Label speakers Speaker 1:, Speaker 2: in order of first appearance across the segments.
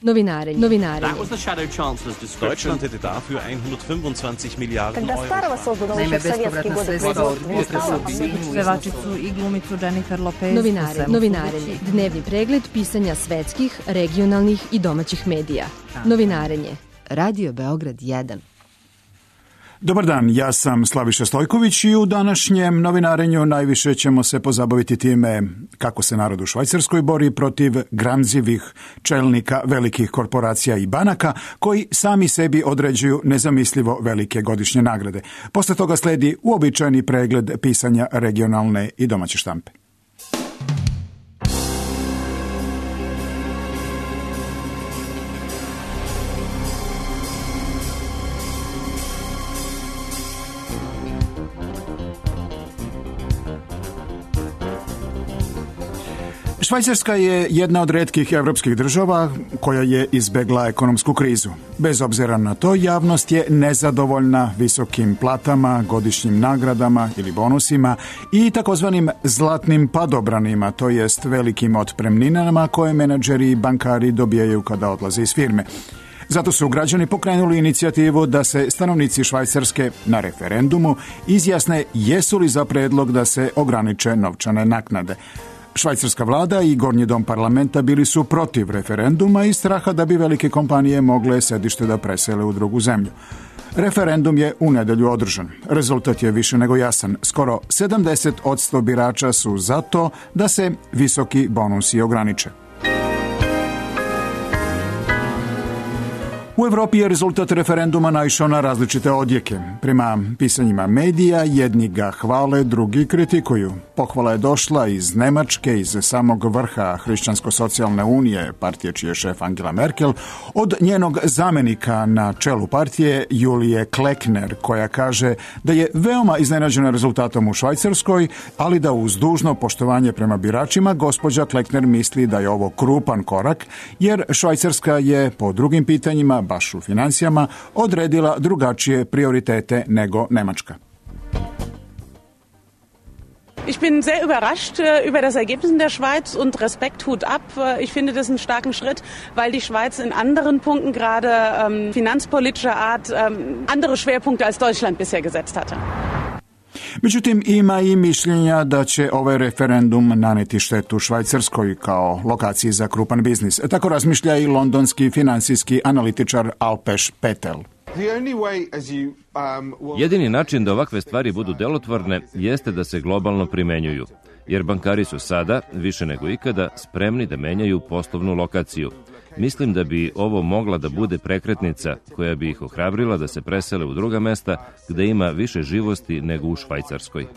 Speaker 1: Novinarenje.
Speaker 2: Deutschland hätte dafür 125 Milijarden Euro.
Speaker 3: Naime, bespovratna sredstva od pevačicu i glumicu Jennifer Lopez.
Speaker 1: Novinarenje. Dnevni pregled pisanja svetskih, regionalnih i domaćih medija. Novinarenje. Radio Beograd 1.
Speaker 4: Dobar dan, ja sam Slaviša Stojković i u današnjem novinarenju najviše ćemo se pozabaviti time kako se narod u Švajcarskoj bori protiv gramzivih čelnika velikih korporacija i banaka koji sami sebi određuju nezamislivo velike godišnje nagrade. Posle toga sledi uobičajeni pregled pisanja regionalne i domaće štampe. Švajcarska je jedna od retkih evropskih država koja je izbegla ekonomsku krizu. Bez obzira na to, javnost je nezadovoljna visokim platama, godišnjim nagradama ili bonusima i takozvanim zlatnim padobranima, to jest velikim otpremninama koje menadžeri i bankari dobijaju kada odlaze iz firme. Zato su građani pokrenuli inicijativu da se stanovnici Švajcarske na referendumu izjasne jesu li za predlog da se ograniče novčane naknade. Švajcarska vlada i Gornji dom parlamenta bili su protiv referenduma i straha da bi velike kompanije mogle sedište da presele u drugu zemlju. Referendum je u nedelju održan. Rezultat je više nego jasan. Skoro 70% birača su za to da se visoki bonusi ograniče. U Evropi je rezultat referenduma naišao na različite odjeke. Prema pisanjima medija, jedni ga hvale, drugi kritikuju. Pohvala je došla iz Nemačke, iz samog vrha Hrišćansko-socijalne unije, partije čiji je šef Angela Merkel, od njenog zamenika na čelu partije Julije Klekner, koja kaže da je veoma iznenađena rezultatom u Švajcarskoj, ali da uz dužno poštovanje prema biračima, gospođa Klekner misli da je ovo krupan korak, jer Švajcarska je po drugim pitanjima, baš u financijama, odredila drugačije prioritete nego Nemačka.
Speaker 5: Ich bin sehr überrascht über das Ergebnis in der Schweiz und Respekt, Hut ab. Ich finde das einen starken Schritt, weil die Schweiz in anderen Punkten, gerade finanzpolitischer Art, andere Schwerpunkte als Deutschland bisher gesetzt hatte.
Speaker 4: Međutim, ima i mišljenja da će ovaj referendum naneti štetu Švajcarskoj kao lokaciji za krupan biznis. Tako razmišlja i londonski finansijski analitičar Alpeš Petel.
Speaker 6: Jedini način da ovakve stvari budu delotvorne jeste da se globalno primenjuju, jer bankari su sada, više nego ikada, spremni da menjaju poslovnu lokaciju. Mislim da bi ovo mogla da bude prekretnica koja bi ih ohrabrila da se presele u druga mesta gde ima više živosti nego u Švajcarskoj.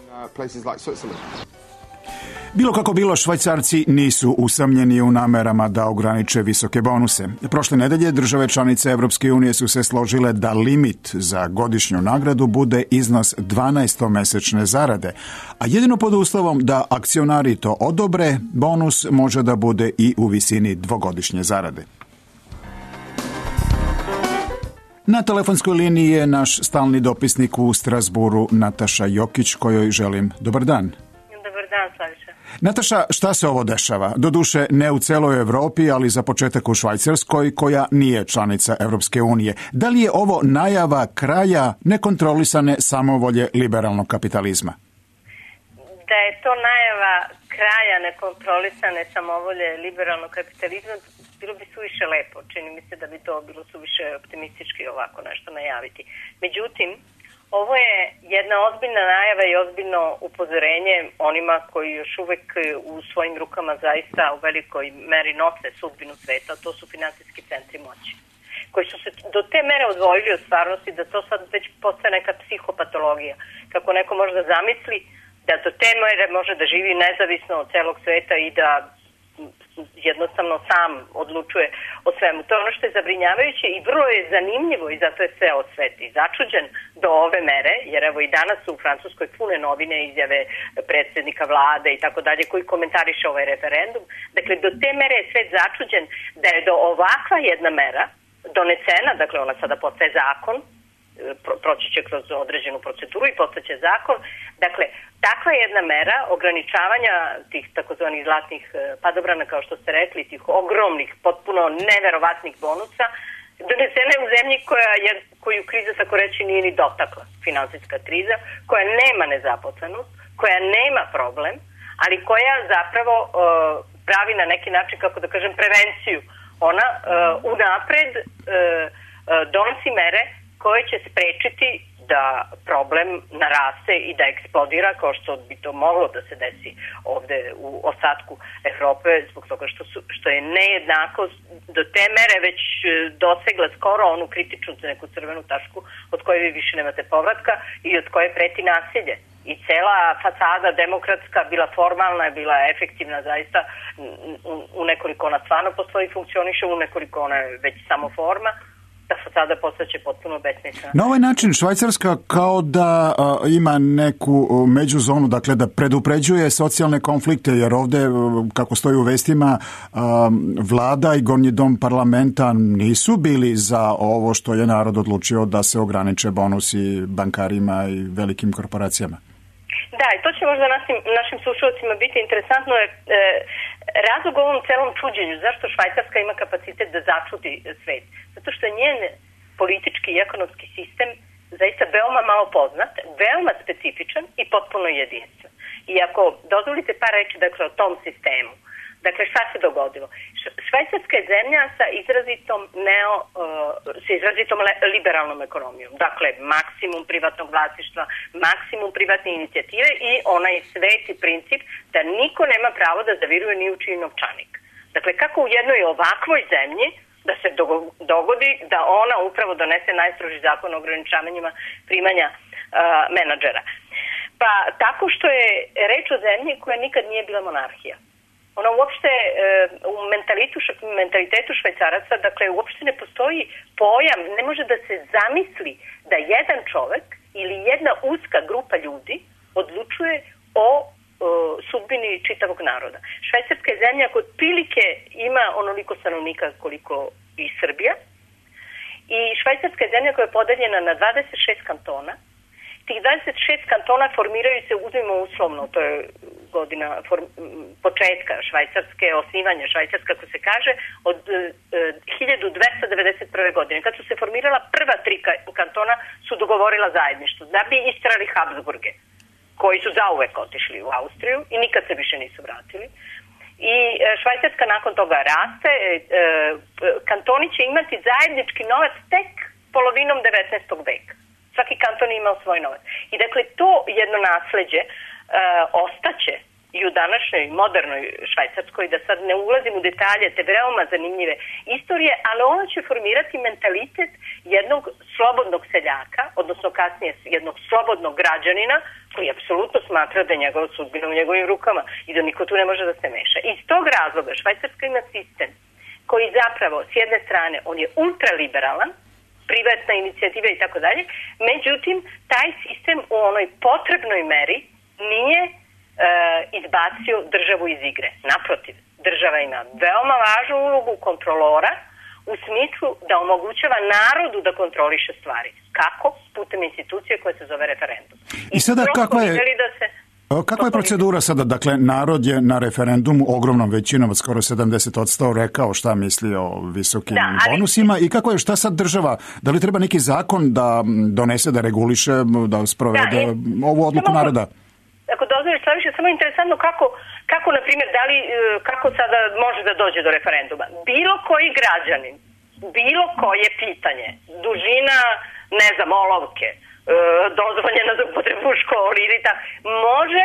Speaker 4: Bilo kako bilo, Švajcarci nisu usamljeni u namerama da ograniče visoke bonuse. Prošle nedelje države članice Evropske unije su se složile da limit za godišnju nagradu bude iznos 12-mesečne zarade, a jedino pod uslovom da akcionari to odobre, bonus može da bude i u visini dvogodišnje zarade. Na telefonskoj liniji je naš stalni dopisnik u Strasburu Nataša Jokić, kojoj želim dobar dan.
Speaker 7: Dobar dan, Slaviša.
Speaker 4: Nataša, šta se ovo dešava? Doduše ne u celoj Evropi, ali za početak u Švajcarskoj, koja nije članica Evropske unije. Da li je ovo najava kraja nekontrolisane samovolje liberalnog kapitalizma?
Speaker 7: Da je to najava kraja nekontrolisane samovolje liberalnog kapitalizma, bilo bi suviše lepo. Čini mi se da bi to bilo suviše optimistički ovako nešto najaviti. Međutim, ovo je jedna ozbiljna najava i ozbiljno upozorenje onima koji još uvek u svojim rukama zaista u velikoj meri nose sudbinu sveta, to su finansijski centri moći, koji su se do te mere odvojili od stvarnosti da to sad već postaje neka psihopatologija. Kako neko može da zamisli da do te mere može da živi nezavisno od celog sveta i da jednostavno sam odlučuje o svemu. To je ono što je zabrinjavajuće i vrlo je zanimljivo i zato je ceo svet i začuđen do ove mere, jer evo i danas su u Francuskoj pune novine, izjave predsjednika vlade i tako dalje koji komentariše ovaj referendum. Dakle, do te mere je svet začuđen da je do ovakva jedna mera donesena, dakle ona sada postaje zakon, proći će kroz određenu proceduru i postaće zakon. Dakle, takva jedna mera ograničavanja tih takozvanih zlatnih padobrana, kao što ste rekli, tih ogromnih, potpuno neverovatnih bonusa, donesena je u zemlji koju kriza, tako reći, nije ni dotakla, finansijska kriza, koja nema nezaposlenost, koja nema problem, ali koja zapravo pravi na neki način, kako da kažem, prevenciju. Ona unapred donosi mere koje će sprečiti da problem naraste i da eksplodira, kao što bi to moglo da se desi ovde u ostatku Evrope, zbog toga što je nejednakost do te mere već dosegla skoro onu kritičnu neku crvenu tačku od koje vi više nemate povratka i od koje preti nasilje. I cela fasada demokratska, bila formalna, bila efektivna zaista, u nekoliko ona stvarno postoji, funkcioniše, u nekoliko ona je već samo forma, ta fasada postaće potpuno besmislena.
Speaker 4: Na ovaj način Švajcarska kao da ima neku međuzonu, dakle da predupređuje socijalne konflikte, jer ovde, kako stoji u vestima, vlada i gornji dom parlamenta nisu bili za ovo što je narod odlučio da se ograniče bonusi bankarima i velikim korporacijama.
Speaker 7: Da, i to će možda našim slušalcima biti interesantno. Razlog ovom celom čuđenju, zašto Švajcarska ima kapacitet da začudi svet? Zato što je njen politički i ekonomski sistem zaista veoma malo poznat, veoma specifičan i potpuno jedinstven. I ako dozvolite par reći dakle, o tom sistemu, dakle šta se dogodilo? Švajcarska je zemlja sa izrazitom liberalnom ekonomijom. Dakle, maksimum privatnog vlasništva, maksimum privatne inicijative i onaj sveti princip da niko nema pravo da zaviruje ni u čiji novčanik. Dakle, kako u jednoj ovakvoj zemlji da se dogodi da ona upravo donese najstroži zakon o ograničavanjima primanja menadžera. Pa tako što je reč o zemlji koja nikad nije bila monarhija. Ona uopšte u mentalitetu Švajcaraca, dakle uopšte ne postoji pojam, ne može da se zamisli da jedan čovek ili jedna uska grupa ljudi odlučuje o sudbini čitavog naroda. Švajcarska je zemlja koja otprilike ima onoliko stanovnika koliko i Srbija i Švajcarska je zemlja koja je podeljena na 26 kantona. Tih 26 kantona formiraju se, uzmimo uslovno, to je godina početka Švajcarske, osnivanja Švajcarska, kako se kaže, od 1291. godine. Kad su se formirala prva 3 kantona, su dogovorila zajedništvo da bi istrali Habsburge, koji su zauvek otišli u Austriju i nikad se više nisu vratili. I Švajcarska nakon toga raste. Kantoni će imati zajednički novac tek polovinom 19. veka. Svaki kanton je imao svoj novac. I dakle, to jedno nasleđe ostaće i u današnjoj modernoj Švajcarskoj, da sad ne ulazim u detalje te veoma zanimljive istorije, ali ono će formirati mentalitet jednog slobodnog seljaka, odnosno kasnije jednog slobodnog građanina, koji apsolutno smatra da je njegova sudbina u njegovim rukama i da niko tu ne može da se meša. Iz tog razloga Švajcarska ima sistem koji zapravo, s jedne strane, on je ultraliberalan, privatna inicijativa i tako dalje, međutim, taj sistem u onoj potrebnoj meri nije izbacio državu iz igre. Naprotiv, država ima veoma važnu ulogu kontrolora u smislu da omogućava narodu da kontroliše stvari. Kako? Putem institucije koje se zove referendum.
Speaker 4: I sada kakva je procedura sada? Dakle, narod je na referendumu ogromnom većinom od skoro 70% rekao šta misli o visokim bonusima i šta sad država? Da li treba neki zakon da donese, da reguliše, da sprovede ovu odluku naroda?
Speaker 7: Ako dozvoliš, samo interesantno kako na primjer, kako sada može da dođe do referenduma. Bilo koji građanin, bilo koje pitanje, dužina, olovke, dozvoljena za upotrebu u školi ili tako, može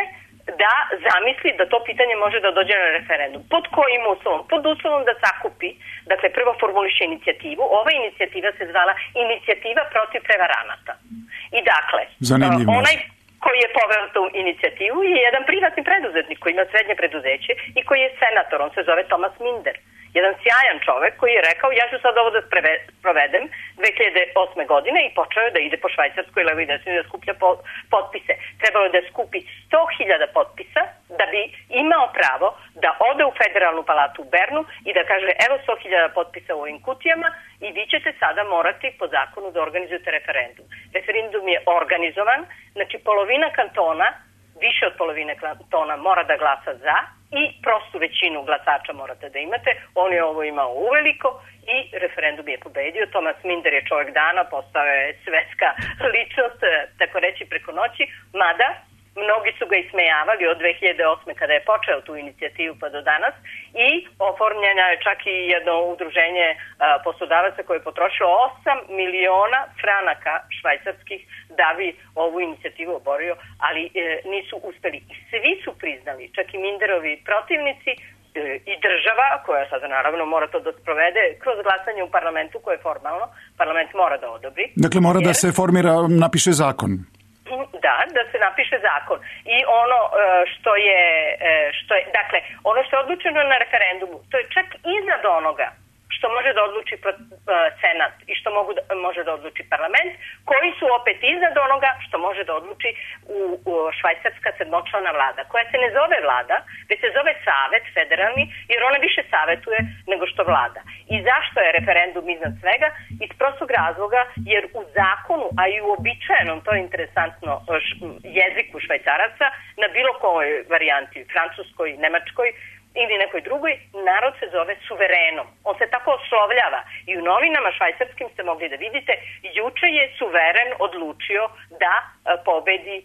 Speaker 7: da zamisli da to pitanje može da dođe na referendum. Pod kojim uslovom? Pod uslovom da sakupi, dakle prvo formuliše inicijativu. Ova inicijativa se zvala Inicijativa protiv prevaranata. I dakle, onaj koji je poveo tu inicijativu je jedan privatni preduzetnik koji ima srednje preduzeće i koji je senator, on se zove Thomas Minder. Jedan sjajan čovek koji je rekao ja ću sad ovo da sprovedem 2008. godine i počeo je da ide po Švajcarskoj levo i desno da skuplja potpise. Trebalo je da skupi 100.000 potpisa da bi imao pravo da ode u federalnu palatu u Bernu i da kaže evo 100.000 potpisa u ovim kutijama i vi ćete sada morati po zakonu da organizujete referendum. Referendum je organizovan, znači polovina kantona, više od polovine kantona mora da glasa za i prostu većinu glasača morate da imate. On je ovo imao uveliko i referendum je pobedio. Thomas Minder je čovjek dana, postao je svetska ličnost, tako reći preko noći, mada mnogi su ga ismejavali od 2008. kada je počeo tu inicijativu pa do danas i oformljena je čak i jedno udruženje poslodavaca koje je potrošilo 8 miliona franaka švajcarskih da bi ovu inicijativu oborio, ali nisu uspeli. I svi su priznali, čak i Minderovi protivnici i država, koja sada naravno mora to da sprovede kroz glasanje u parlamentu koje je formalno, parlament mora da odobri.
Speaker 4: Dakle, mora da se formira, napiše zakon.
Speaker 7: Da se napiše zakon. I ono što je, dakle, ono što je odlučeno na referendumu, to je čak iznad onoga što može da odluči senat i što može da odluči parlament, koji su opet iznad onoga što može da odluči u švajcarska sedmočlana vlada, koja se ne zove vlada, već se zove savet federalni, jer ona više savetuje nego što vlada. I zašto je referendum iznad svega? Iz prostog razloga, jer u zakonu, a i u običajenom, to je interesantno, jeziku švajcaraca, na bilo kojoj varijanti, francuskoj, nemačkoj, ili nekoj drugoj, narod se zove suverenom. On se tako oslovljava. I u novinama švajcarskim ste mogli da vidite, juče je suveren odlučio da pobedi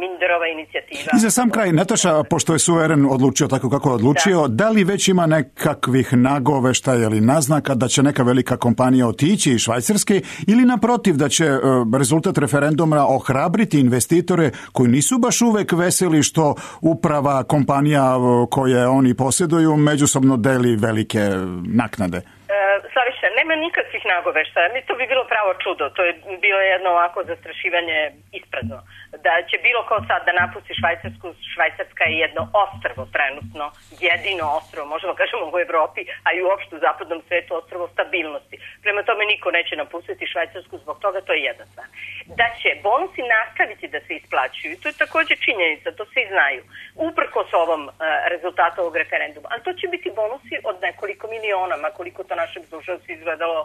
Speaker 7: Minderova inicijativa.
Speaker 4: I za sam kraj, Nataša, pošto je suveren odlučio tako kako je odlučio, da li već ima nekakvih nagoveštaja ili naznaka da će neka velika kompanija otići iz Švajcarske ili naprotiv da će rezultat referenduma ohrabriti investitore koji nisu baš uvek veseli što uprava kompanija koje oni posjeduju međusobno deli velike naknade?
Speaker 7: Slaviša, nema nikakvih nagoveštaja. To bi bilo pravo čudo. To je bilo jedno ovako zastrašivanje isprazno. Da će bilo ko sad da napusti Švajcarsku. Švajcarska je jedno ostrvo trenutno, jedino ostrvo, možemo kažemo u Evropi, a i uopšte u zapadnom svetu ostrvo stabilnosti. Prema tome niko neće napustiti Švajcarsku zbog toga, to je jedna stvar. Da će bonusi nastaviti da se isplaćuju, to je također činjenica, to svi znaju, uprkos ovom rezultatu ovog referenduma. Ali to će biti bonusi od nekoliko miliona, ma koliko to našeg slušalci izgledalo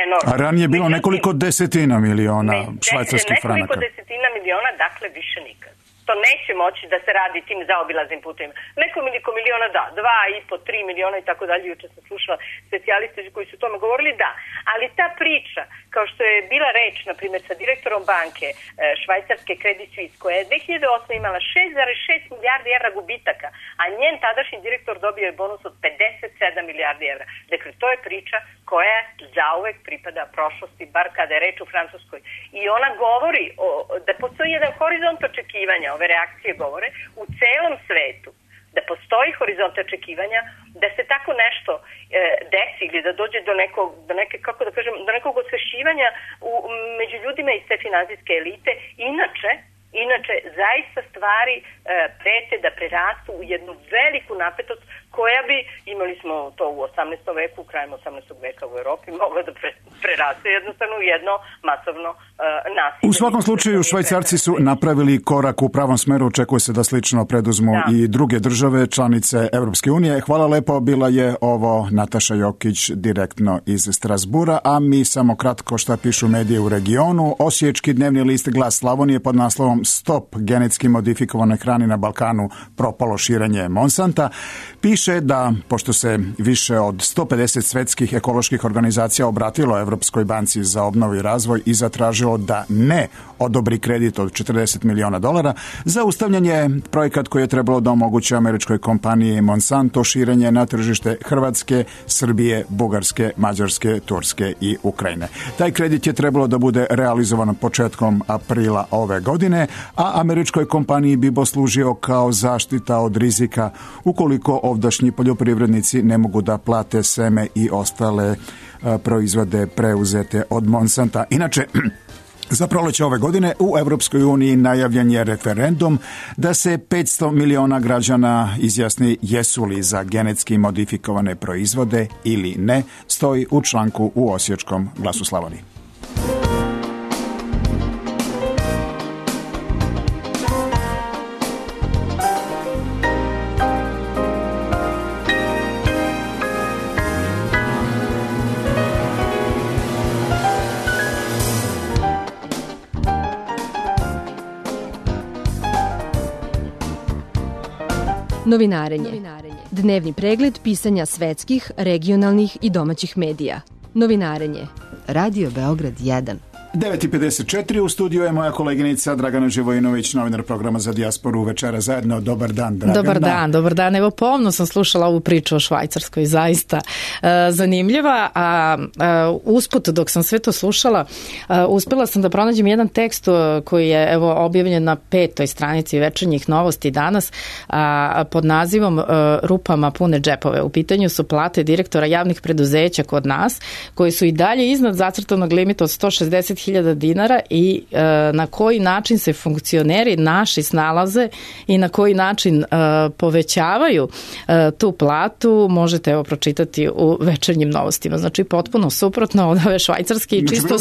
Speaker 7: enormno.
Speaker 4: A ranije je bilo nekoliko desetina miliona švajcarskih franaka.
Speaker 7: Nekoliko desetina miliona, dakle više nikad. To neće moći da se radi tim zaobilaznim putovima. Nekoliko miliona da, 2,5, 3 miliona i tako dalje. Juče sam slušala specijaliste koji su o tome govorili, da. Ali ta priča, kao što je bila reč, na primjer, sa direktorom banke švajcarske Credit Suisse, koja je 2008. imala 6,6 milijardi evra gubitaka, a njen tadašnji direktor dobio je bonus od 57 milijardi evra. Dakle, to je priča koja zauvek pripada prošlosti, bar kada je reč u Francuskoj. I ona govori da postoji jedan horizont očekivanja, ove reakcije govore, u celom svetu, da postoji horizont očekivanja, da se tako nešto desi ili da dođe do nekog osvešćivanja među ljudima iz te finansijske elite. Inače, zaista stvari prete da prerastu u jednu veliku napetost koja bi, imali smo to u 18. veku, krajem 18. veka u Europi, mogla da preraste jednostavno u jedno masovno nasilje.
Speaker 4: U svakom slučaju, Švajcarci su napravili korak u pravom smeru, očekuje se da slično preduzmu i druge države, članice Evropske unije. Hvala lepo, bila je ovo Nataša Jokić direktno iz Strasbura, a mi samo kratko šta pišu medije u regionu. Osječki dnevni list Glas Slavonije pod naslovom Stop genetski modifikovanoj hrani na Balkanu, propalo širenje Monsanta. Piše da, pošto se više od 150 svetskih ekoloških organizacija obratilo Evropskoj banci za obnovu i razvoj i zatražilo da ne odobri kredit od $40 miliona, zaustavljanje projekat koji je trebalo da omogući američkoj kompaniji Monsanto širenje na tržište Hrvatske, Srbije, Bugarske, Mađarske, Turske i Ukrajine. Taj kredit je trebalo da bude realizovan početkom aprila ove godine, a američkoj kompaniji bi poslužio kao zaštita od rizika ukoliko ovdašnji poljoprivrednici ne mogu da plate seme i ostale proizvode preuzete od Monsanta. Inače, za proleće ove godine u Evropskoj uniji najavljen je referendum da se 500 miliona građana izjasni jesu li za genetski modifikovane proizvode ili ne, stoji u članku u Osječkom Glasu Slavonije.
Speaker 1: Novinarenje. Dnevni pregled pisanja svetskih, regionalnih i domaćih medija. Novinarenje. Radio Beograd 1.
Speaker 4: 9:54 u studiju je moja koleginica Dragana Živojinović, novinar programa za dijasporu Večera zajedno. Dobar dan, Dragana.
Speaker 8: Dobar dan. Evo, pomno sam slušala ovu priču o Švajcarskoj, zaista zanimljiva, a usput dok sam sve to slušala, uspela sam da pronađem jedan tekst koji je objavljen na 5. stranici Večernjih novosti danas pod nazivom Rupama pune džepove. U pitanju su plate direktora javnih preduzeća kod nas, koji su i dalje iznad zacrtanog limita od 160.000 dinara i na koji način se funkcioneri naši snalaze i na koji način povećavaju tu platu možete pročitati u Večernjim novostima. Znači potpuno suprotno od ove švajcarske i čisto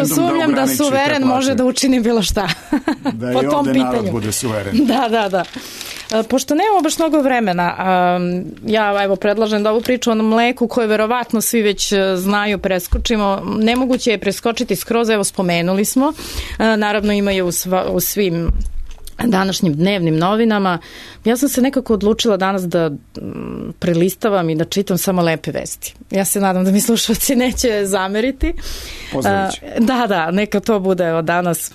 Speaker 8: sumnjam da suveren može da učini bilo šta
Speaker 4: da
Speaker 8: po tom pitanju.
Speaker 4: Narod bude suveren.
Speaker 8: Da. Pošto nemamo baš mnogo vremena, ja predlažem da ovu priču o mleku koju verovatno svi već znaju preskočimo. Nemoguće je preskočiti skroz, spomenuli smo. Naravno ima je u svim današnjim dnevnim novinama. Ja sam se nekako odlučila danas da prelistavam i da čitam samo lepe vesti. Ja se nadam da mi slušalci neće zameriti.
Speaker 4: Pozdravit ću.
Speaker 8: Da, neka to bude od danas.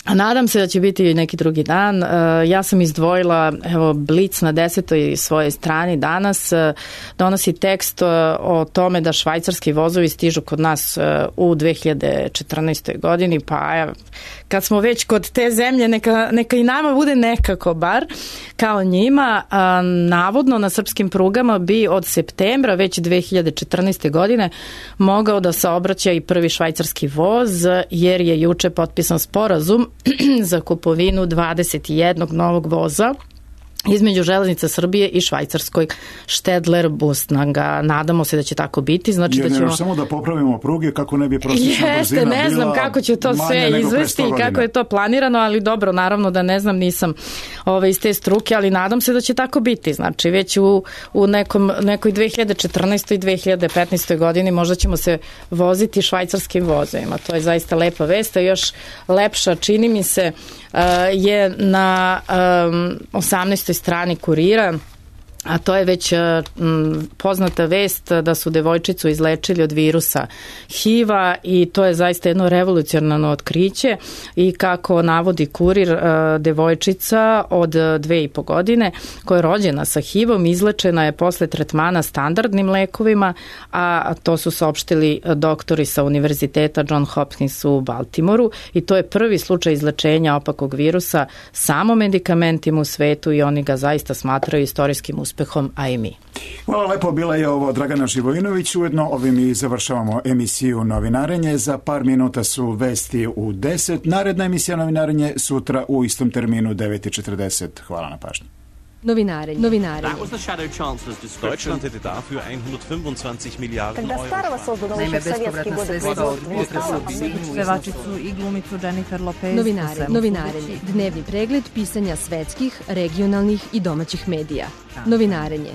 Speaker 8: A nadam se da će biti neki drugi dan. Ja sam izdvojila, Blic na 10. svojoj strani danas donosi tekst o tome da švajcarski vozovi stižu kod nas u 2014. godini, pa kad smo već kod te zemlje, neka i nama bude nekako bar kao njima. Navodno na srpskim prugama bi od septembra već 2014. godine mogao da saobraća i prvi švajcarski voz, jer je juče potpisan sporazum za kupovinu 21 novog voza između Železnica Srbije i švajcarskoj Stedler Busnanga. Nadamo se da će tako biti. Znači da ćemo
Speaker 4: samo da popravimo pruge kako ne bi prosječna brzina bila.
Speaker 8: Ne znam kako će to sve izvesti i kako je to planirano, ali dobro, naravno da ne znam, nisam iz te struke, ali nadam se da će tako biti. Znači već u nekoj 2014. i 2015. godini možda ćemo se voziti švajcarskim vozovima. To je zaista lepa vest, a još lepša čini mi se je na 18. strani Kurira, a to je već poznata vest da su devojčicu izlečili od virusa HIV-a i to je zaista jedno revolucionarno otkriće i kako navodi Kurir, devojčica od 2,5 godine koja je rođena sa HIV-om izlečena je posle tretmana standardnim lekovima, a to su saopštili doktori sa Univerziteta John Hopkins u Baltimoru i to je prvi slučaj izlečenja opakog virusa samo medikamentima u svetu i oni ga zaista smatraju istorijskim uspehom, a i mi.
Speaker 4: Hvala lepo, bila je ovo Dragana Živojinović. Ujedno ovim i završavamo emisiju Novinarenje. Za par minuta su vesti u 10. Naredna emisija Novinarenje sutra u istom terminu 9:40. Hvala na pažnji.
Speaker 1: Novinarenje.
Speaker 2: Deutschland hätte dafür 125 Milliarden Euro.
Speaker 3: Naime, bespovratna sredstva od pevačicu i glumicu Jennifer Lopez.
Speaker 1: Novinarenje. Dnevni pregled pisanja svetskih, regionalnih i domaćih medija. Novinarenje.